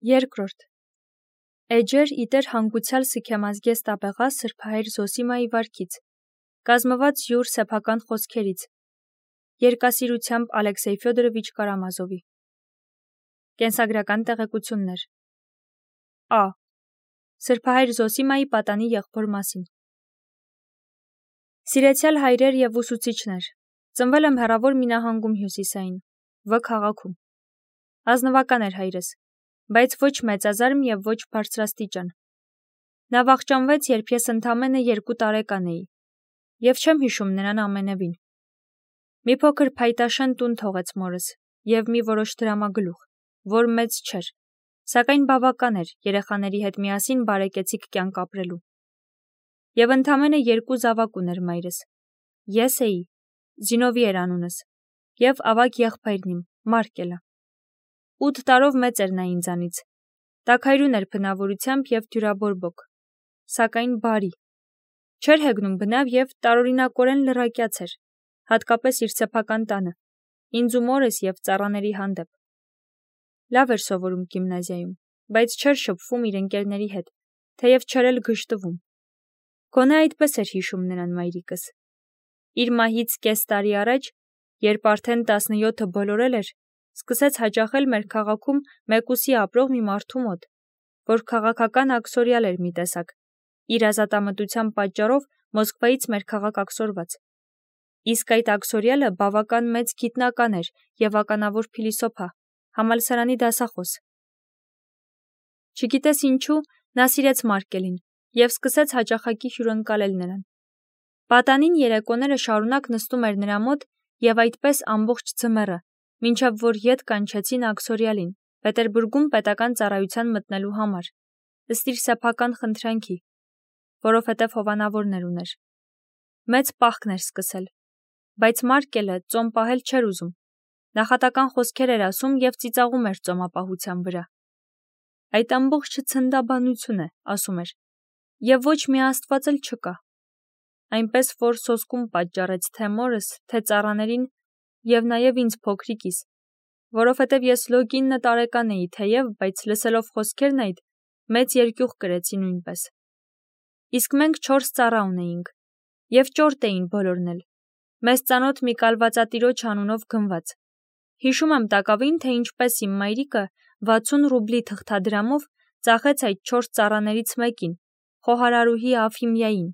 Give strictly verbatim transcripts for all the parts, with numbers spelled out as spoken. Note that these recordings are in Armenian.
Երկրորդ. Էջեր իտեր հանգուցյալ սքեմազգես տաբեղա սրբահայր Զոսիմայի վարքից, կազմված յուր սեփական խոսքերից, երկասիրությամբ Ալեքսեյ Ֆյոդորովիչ Կարամազովի։ Կենսագրական տեղեկություններ։ Ա. Սրբահայր Զոսիմայի պատանի եղբոր մասին։ Սիրեցյալ հայրեր և ուսուցիչներ, ծնվել եմ հեռավոր մի նահանգում հյուսիսային, Վ քաղաքում։ Ազնվական էր հայրս, բայց ոչ մեծազարմ և ոչ բարձրաստիճան։ Նա վախճանվեց, երբ ես ընդամենը երկու տարեկան էի, և չեմ հիշում նրան ամենևին։ Մի փոքր փայտաշեն տուն թողեց մորս և մի որոշ դրամագլուխ, որ մեծ չէր, սակայն բավական էր երեխաների հետ միասին բարեկեցիկ կյանք ապրելու։ Եվ ընդամենը երկու զավակ ուներ մայրս։ Ես էի, Զինովի էր անունս, և ավագ եղբայրն իմ, Մարկելը։ Ութ տարով մեծ էր նա ինձանից, տաքայրուն էր բնավորությամբ և դյուրաբորբոք, սակայն բարի, չէր հեգնում բնավ և տարօրինակորեն լռակյաց էր, հատկապես իր սեփական տանը, ինձ ու մորս և ծառաների հանդեպ։ Լավ էր սովորում գիմնազիայում, բայց չէր շփվում իր ընկերների հետ, թեև չէր էլ գժտվում։ Գոնե այդպես էր հիշում նրան մայրիկս։ Իր մահից կես տարի առաջ, երբ արդեն տասնյոթը բոլորել էր, սկսեց հաճախել մեր քաղաքում մեկուսի ապրող մի մարդու մոտ, որ քաղաքական աքսորիալ էր մի տեսակ, իր ազատամտության պատճառով Մոսկվայից մեր քաղաք աքսորված։ Իսկ այդ աքսորիալը բավական մեծ գիտնական էր և ականավոր փիլիսոփա, համալսարանի դասախոս։ Չգիտես ինչու, նա սիրեց Մարկելին և սկսեց հաճախակի հյուրընկալել նրան։ Պատանին երեկոները շարունակ նստում էր նրա մոտ և այդպես ամբողջ ձմեռը, մինչև որ ետ կանչեցին աքսորիալին, Պետերբուրգում պետական ծառայության մտնելու համար, ըստ իր սեփական խնդրանքի, որովհետև հովանավորներ ուներ։ Մեծ պահքն էր սկսել, բայց Մարկելը ծոմ պահել չէր ուզում, նախատական խոսքեր էր ասում և ծիծաղում էր ծոմապահության վրա։ Այդ ամբողջը ցնդաբանություն է, ասում էր, և ոչ մի աստված էլ չկա։ Այնպես որ սոսկում պատճառեց թե մորս, թե ծառաներին և նաև ինձ փոքրիկիս, որովհետև ես լոկինը տարեկան էի թեև, բայց լսելով խոսքերն այդ, մեծ երկյուղ կրեցի նույնպես։ Իսկ մենք չորս ծառա ունեինք, և ճորտ էին բոլորն էլ, մեզ ծանոթ մի կալվածատիրոջ անունով գնված։ Հիշում եմ տակավին, թե ինչպես իմ մայրիկը վաթսուն ռուբլի թղթադրամով ծախեց այդ չորս ծառաներից մեկին, խոհարարուհի Աֆիմիային,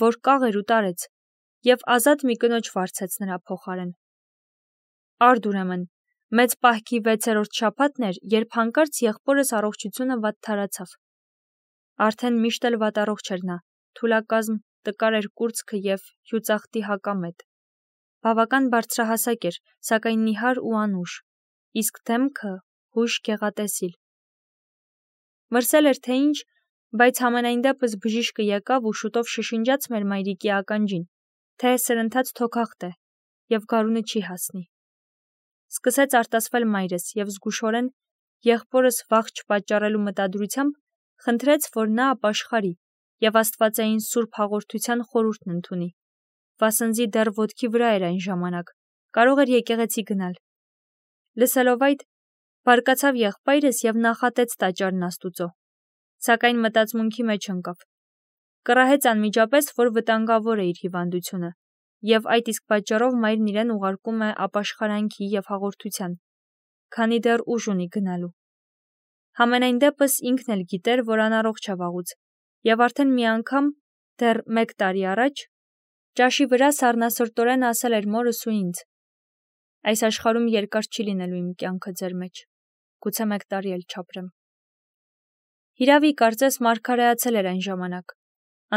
որ կաղ էր ու տարեց, և ազատ մի կնոջ վարձեց նրա փոխարեն։ Արդ ուրեմն, մեծ պահքի վեցերորդ շաբաթն էր, երբ հանկարծ եղբորս առողջությունը վատթարացավ։ Արդեն միշտ էլ վատառողջ էր նա, թուլակազմ, տկար էր կուրծքը և հյուծախտի հակամետ։ Բավական բարձրահասակ էր, սակայն նիհար ու անուշ, իսկ դեմքը հույժ գեղատեսիլ։ Մրսել էր թե ինչ, բայց համենայն դեպս բժիշկը եկավ ու շուտով շշնջաց մեր մայրիկի ականջին, թե սրընթաց թոքախտ է և գարունը չի հասնի։ Սկսեց արտասվել մայրս և զգուշորեն, եղբորս վախ չպատճառելու մտադրությամբ, խնդրեց, որ նա ապաշխարի և աստվածային սուրբ հաղորդության խորհուրդն ընդունի, վասնզի դեռ ոտքի վրա էր այն ժամանակ, կարող էր եկեղեցի գնալ։ Լսելով այդ, բարկացավ եղբայրս և նախատեց տաճարն Աստուծո, սակայն մտածմունքի մեջ ընկավ։ Կռահեց անմիջապես, որ վտանգավոր է իր հիվանդությունը, և այդ իսկ պատճառով մայրն իրեն ուղարկում է ապաշխարանքի և հաղորդության, քանի դեռ ուժ ունի գնալու։ Համենայն դեպս ինքն էլ գիտեր, որ անառողջ է վաղուց, և արդեն մի անգամ, դեռ մեկ տարի առաջ, ճաշի վրա սառնասրտորեն ասել էր մորս ու ինձ. «Այս աշխարհում երկար չի լինելու իմ կյանքը ձեր մեջ, գուցե մեկ տարի էլ չապրեմ»։ Հիրավի, կարծես մարգարեացել էր այն ժամանակ,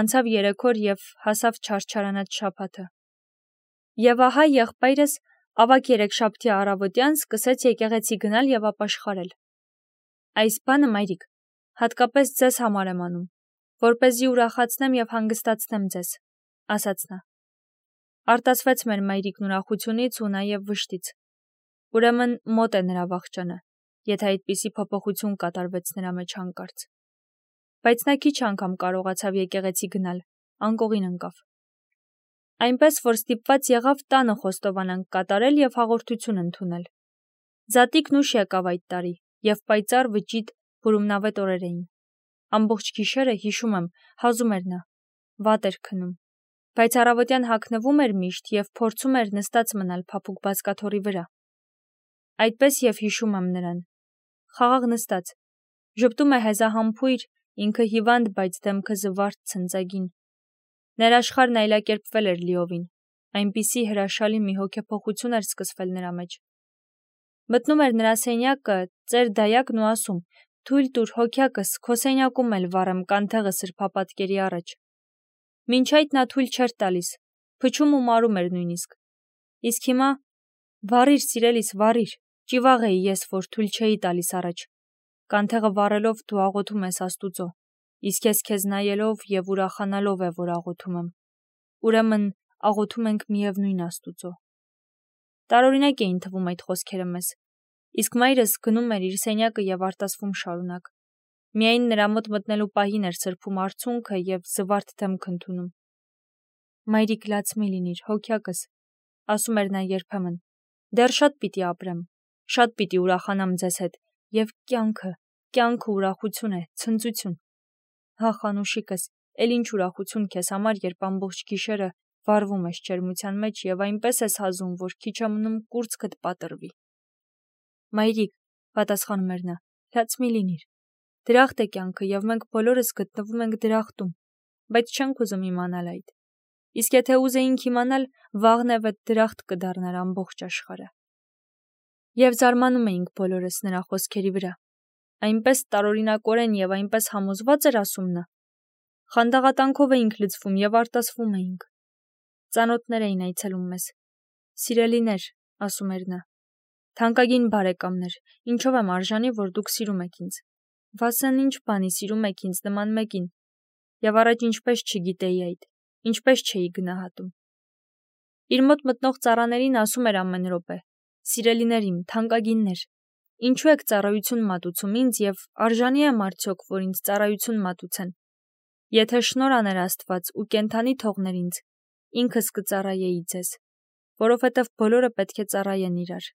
անցավ երեք օր և հասավ չարչարանած շաբաթը։ Եվ ահա եղբայրս ավագ երեքշաբթի առավոտյան սկսեց եկեղեցի գնալ և ապաշխարել։ Այս բանը, մայրիկ, հատկապես ձեզ համար եմ անում, որպեսզի ուրախացնեմ և հանգստացնեմ ձեզ, ասաց նա։ Արտասվեց մեր մայրիկն ուրախությունից ու նաև վշտից։ Ուրեմն մոտ է նրա վախճանը, եթե այդպիսի փոփոխություն կատարվեց նրա մեջ հանկարծ։ Բայց նա քիչ անգամ կարողացավ եկեղեցի գնալ, անկողին ընկավ։ Այնպես, որ ստիպված եղավ տանը խոստովանանք կատարել և հաղորդություն ընդունել։ Ձատիկն ուշ եկավ այդ տարի, և պայծառ վճիտ բուրումնավետ օրեր էին։ Ամբողջ գիշերը հիշում եմ, հազում էր նա, վատ էր քնում, բայց առավոտյան հագնվում էր միշտ և փորձում էր նստած մնալ փափուկ բազկաթոռի վրա։ Այդպես և հիշում եմ նրան։ Խաղաղ նստած, ժպտում է հեզահամբույր, ինքը հիվանդ, բայց դեմքը զվարթ ցնծագին։ Ներաշխարհն այլակերպվել էր լիովին, այնպիսի հրաշալի մի հոգեփոխություն էր սկսվել նրա մեջ։ Մտնում էր նրա սենյակը, ծեր դայակն ու ասում. «Թույլ տուր, հոգյակս, քո սենյակում էլ վառեմ կանթեղը սրբապատկերի առաջ»։ Մինչ այդ նա թույլ չէր տալիս, փչում ու մարում էր նույնիսկ։ Իսկ հիմա վառիր, սիրելիս, վառիր, ճիվաղ էի ես, որ թույլ չէի տալիս առաջ։ Կանթեղը վառելով դու աղոթում ես Աստուծո, իսկ ես քեզ նայելով և ուրախանալով է, որ աղոթում եմ։ Ուրեմն աղոթում ենք միևնույն Աստուծո։ Տարօրինակ էին թվում այդ խոսքերը մեզ, իսկ մայրս գնում էր իր սենյակը և արտասվում շարունակ։ Միայն նրա մոտ մտնելու պահին էր սրբում արցունքը և զվարթ դեմք ընդունում։ Մայրիկ, լաց մի լինիր, հոգյակս, ասում էր նա երբեմն, դեռ շատ պիտի ապրեմ, շատ պիտի ուրախանամ ձեզ հետ, և կյանքը, կյանքը ուրախություն է, ցնծություն։ Հա, Խանուշիկս, էլ ինչ ուրախություն քեզ համար, երբ ամբողջ գիշերը վառվում ես ջերմության մեջ և այնպես ես հազում, որ քիչ է մնում կուրծքդ պատռվի։ Մայրիկ, պատասխանում էր նա, լաց մի լինիր։ Դրախտ է կյանքը և մենք բոլորս գտնվում ենք դրախտում, բայց չենք ուզում իմանալ այդ։ Իսկ եթե ուզեինք իմանալ, վաղնև էդ դրախտ կդառնար ամբողջ աշխարհը։ Եվ զարմանում էինք բոլորս նրա խոսքերի վրա։ Այնպես տարօրինակորեն և այնպես համոզված էր ասում նա։ Խանդաղատանքով էինք լցվում և արտասվում էինք։ Ծանոթներ էին այցելում մեզ։ Սիրելիներ, ասում էր նա, թանկագին բարեկամներ, ինչով եմ արժանի, որ դուք սիրում եք ինձ։ Վասն ինչ բանի սիրում եք ինձ նման մեկին։ Եվ առաջ ինչպես չգիտեի այդ, ինչպես չէի գնահատում։ Իր մոտ մտնող ծառաներին ասում էր ամեն րոպե. «Սիրելիներ իմ, թանկագիններ, ինչու եք ծառայություն մատուցում ինձ և արժանի եմ արդյոք, որ ինձ ծառայություն մատուցեն։ Եթե շնորհ աներ Աստված ու կենդանի թողներ ինձ, ինքս կծառայեի ձեզ, որովհետև բոլորը պետք է ծառայեն իրար»։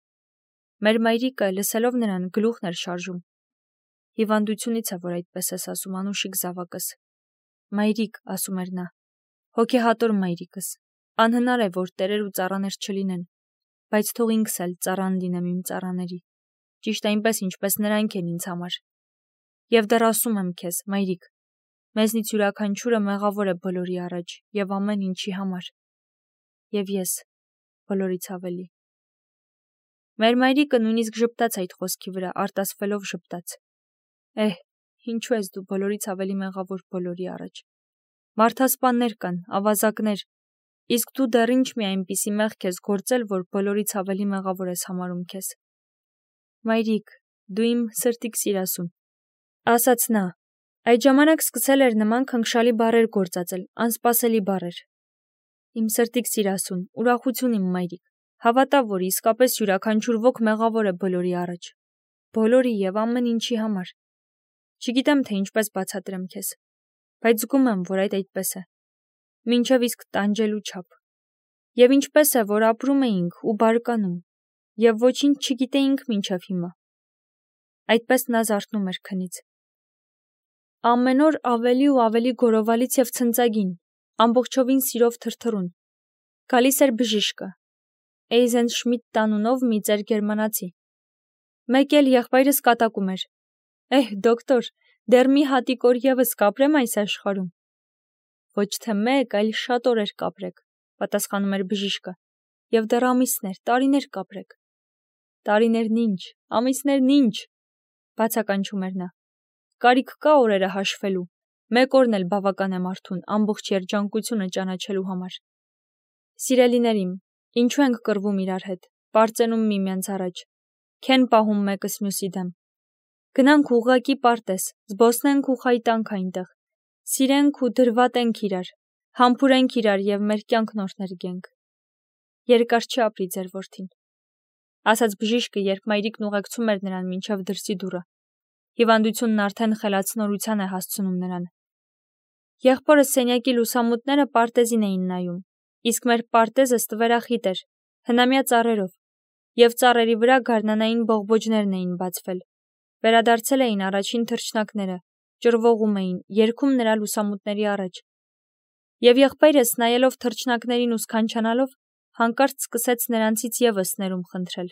Մեր մայրիկը, լսելով նրան, գլուխն էր շարժում։ Հիվանդությունից է, որ այդպես ես ասում, անուշիկ զավակս։ Մայրիկ, ասում էր նա, հոգեհատոր մայրիկս, անհնար է, որ տերեր ու ծառաներ չլինեն, բայց թող ինքս էլ ծառան լինեմ իմ ծառաների, ճիշտ այնպես, ինչպես նրանք են ինձ համար։ Եվ դեռ ասում եմ քեզ, մայրիկ, մեզնից յուրաքանչյուրը մեղավոր է բոլորի առաջ և ամեն ինչի համար։ Եվ ես բոլորից ավելի։ Մեր մայրիկը նույնիսկ ժպտաց այդ խոսքի վրա, արտասվելով ժպտաց։ Էհ, ինչու ես դու բոլորից ավելի մեղավոր բոլորի առաջ։ Մարդասպաններ կան, ավազակներ, իսկ դու դեռ ինչ մի այնպիսի մեղք ես գործել, որ բոլորից ավելի մեղավոր ես համարում քեզ։ Մայրիկ, դու իմ սրտիք սիրասուն, ասաց նա, այդ ժամանակ սկսել էր նման քնքշալի բառեր գործածել, անսպասելի բառեր։ Իմ սրտիք սիրասուն, ուրախություն իմ մայրիկ, հավատա, որ իսկապես յուրաքանչյուր ոք մեղավոր է բոլորի առաջ, բոլորի և ամեն ինչի համար։ Չգիտեմ, թե ինչպես բացատրեմ քեզ, բայց զգում եմ, որ այդ այդպես է, մինչև իսկ տանջելու չափ։ Եվ ինչպես է, որ ապրում էինք ու բարկանում, և ոչինչ չգիտեինք մինչև հիմա։ Այդպես նա զարթնում էր քնից։ Ամեն օր ավելի ու ավելի գորովալից և ցնծագին, ամբողջովին սիրով թրթռուն։ Գալիս էր բժիշկը, Էյզենշմիդտ անունով մի ծեր գերմանացի։ Մեկ էլ եղբայրս կատակում էր. Էհ, դոկտոր, դեռ մի հատիկ օր ևս կապրեմ այս աշխարհում։ Ոչ թե մեկ, այլ շատ օրեր կապրեք, պատասխանում էր բժիշկը, և դեռ ամիսներ, տարիներ կապրեք։ Տարիներն ինչ, ամիսներն ինչ, բացականչում էր նա։ Կարիք կա օրերը հաշվելու, մեկ օրն էլ բավական է մարդուն ամբողջ երջանկությունը ճանաչելու համար։ Սիրելիներ իմ, ինչու ենք կռվում իրար հետ, պարծենում միմյանց առաջ, քեն պահում մեկս մյուսի դեմ։ Գնանք ուղղակի պարտեզ, զբոսնենք ու խայտանք այնտեղ, սիրենք ու դրվատենք իրար, համբուրենք իրար և մեր կյանքն օրհներգենք։ Երկար չի ապրի ձեր որդին, ասաց բժիշկը, երբ մայրիկն ուղեկցում էր նրան մինչև դրսի դուռը։ Հիվանդությունն արդեն խելացնորության է հասցնում նրան։ Եղբորս սենյակի լուսամուտները պարտեզին էին նայում, իսկ մեր պարտեզը ստվերախիտ էր, հնամյա ծառերով, և ծառերի վրա գարնանային բողբոջներն էին բացվել։ Վերադարձել էին առաջին թռչնակները, ճռվողում էին, երգում նրա լուսամուտների առաջ։ Եվ եղբայրս, նայելով թռչնակներին ու սքանչանալով, հանկարծ սկսեց նրանցից ևս ներում խնդրել.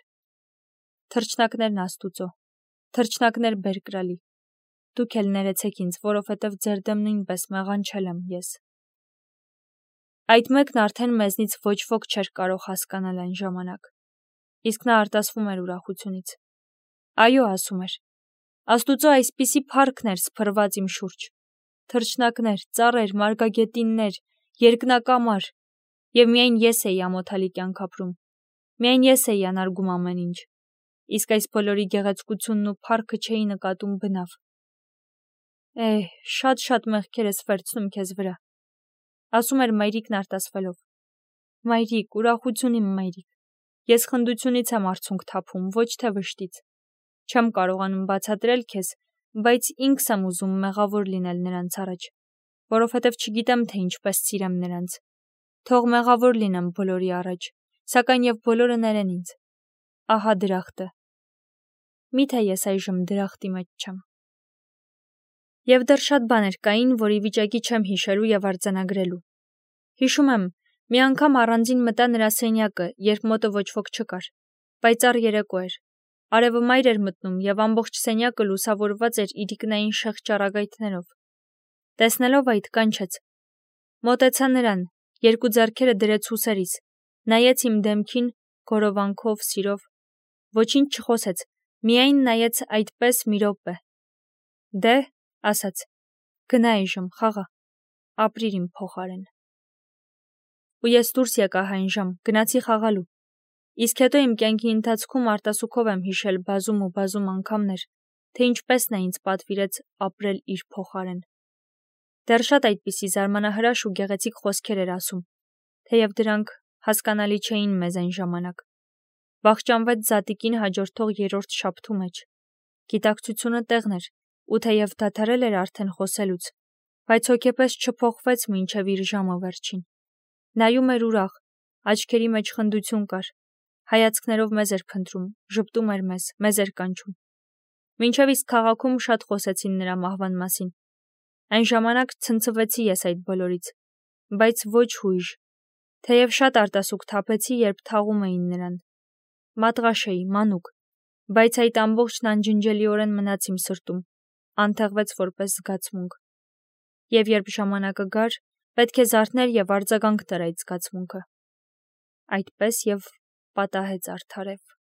«Թռչնակներն Աստուծո, թռչնակներ բերկրալի, դուք էլ ներեցեք ինձ, որովհետև ձեր դեմ նույնպես մեղանչել եմ ես»։ Այդ մեկն արդեն մեզնից ոչ ոք չէր կարող հասկանալ այն ժամանակ, իսկ նա արտասվում էր ուրախությունից։ Այո, ասում էր, Աստուծո այսպիսի փառքն էր սփռված իմ շուրջ, թռչնակներ, ծառեր, մարգագետիններ, երկնակամար, և միայն ես էի ամոթալի կյանք ապրում, միայն ես էի անարգում ամեն ինչ, իսկ այս բոլորի գեղեցկությունն ու փառքը չէի նկատում բնավ։ Էհ, շատ-շատ մեղքեր ես վերցնում քեզ վրա, ասում էր մայրիկն արտասվելով։ Մայրիկ, ուրախություն իմ մայրիկ, ես խնդությունից եմ արցունք թափում, ոչ թե վշտից։ Չեմ կարողանում բացատրել քեզ, բայց ինքս եմ ուզում մեղավոր լինել նրանց առաջ, որովհետև չգիտեմ, թե ինչպես սիրեմ նրանց։ Թող մեղավոր լինեմ բոլորի առաջ, սակայն և բոլորը ներեն ինձ։ Ահա դրախտը։ Միթե ես այժմ դրախտի մեջ չեմ։ Եվ դեռ շատ բաներ կային, որի վիճակի չեմ հիշելու և արձանագրելու։ Հիշում եմ, մի անգամ առանձին մտա նրա սենյակը, երբ մոտը ոչ ոք չկար, պայծառ երեկո էր։ Արևը մայր էր մտնում և ամբողջ սենյակը լուսավորված էր իրիկնային շեղ ճառագայթներով։ Տեսնելով այդ, կանչեց։ Մոտեցա նրան, երկու ձեռքերը դրեց ուսերիս, նայեց իմ դեմքին, գորովանքով, սիրով, ոչինչ չխոսեց, միայն նայեց այդպես մի րոպե։ Դե, ասաց, գնա այժմ, խաղա, ապրիր իմ փոխարեն։ Ու ես դուրս եկա այն ժամ, գնացի խաղալու։ Իսկ հետո իմ կյանքի ընթացքում արտասուքով եմ հիշել բազում ու բազում անգամներ, թե ինչպես նա ինձ պատվիրեց ապրել իր փոխարեն։ Դեռ շատ այդպիսի զարմանահրաշ ու գեղեցիկ խոսքեր էր ասում, թեև դրանք հասկանալի չէին մեզ այն ժամանակ։ Վախճանվեց զատիկին հաջորդող երրորդ շաբթու մեջ։ Գիտակցությունը տեղն էր, ու թեև դադարել էր արդեն խոսելուց, բայց հոգեպես չփոխվեց մինչև իր ժամը վերջին։ Նայում էր ուրախ, աչքերի մեջ խնդություն կար, հայացքներով մեզ էր փնտրում, ժպտում էր մեզ, մեզ էր կանչում։ Մինչև իսկ քաղաքում շատ խոսեցին նրա մահվան մասին։ Այն ժամանակ ցնցվեցի ես այդ բոլորից, բայց ոչ հույժ, թեև շատ արտասուք թափեցի, երբ թաղում էին նրան։ Մատղաշ էի, մանուկ, բայց այդ ամբողջն անջնջելիորեն մնաց իմ սրտում, անթեղվեց որպես զգացմունք։ Եվ երբ ժամանակը գար, պետք է զարթներ և արձագանք տար այդ զգացմունքը։ Այդպես և պատահեց արդարև։